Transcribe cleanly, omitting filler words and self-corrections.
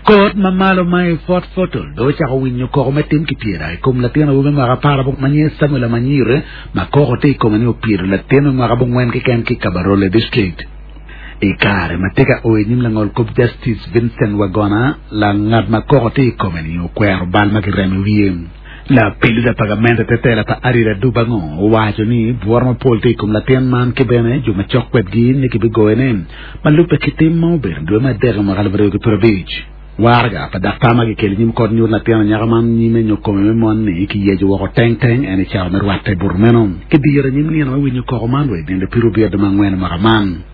Kot ma malo ma i Fort Portal dong ocako winyo koko me tim kipyeda i kom latin awobi me mwaka aparabongwen ma nyinge Samuel Amanyire ma koko tye i kome ni opyedo latin me mwaka abongwen keken ki i Kabarole District. I kare ma tye ka o i nyim langolkop Justice Vincent Wagona, langat ma koko tye i kome-ni okwero bal ma kiremo i wiye. Lapilida pa gamente te tela pa Ariel Adubango owaco ni bworo mapol tye i kom latin man ki bene jo macok kwedgi ni kibigoyone ma lubbe ki tim ma obedo i dwe me adek i mwaka 2025. Waraga pa daktar ma kikelo i nyim kot nyuto latin anyaka man nyime nyo kome me mon-ni kiyeco woko teng teng en i cawa me rwatte i buto meno. Kidiro i nyim nino me winyo koko man wa i nino pyerabiro dwe me angwen i mwaka man.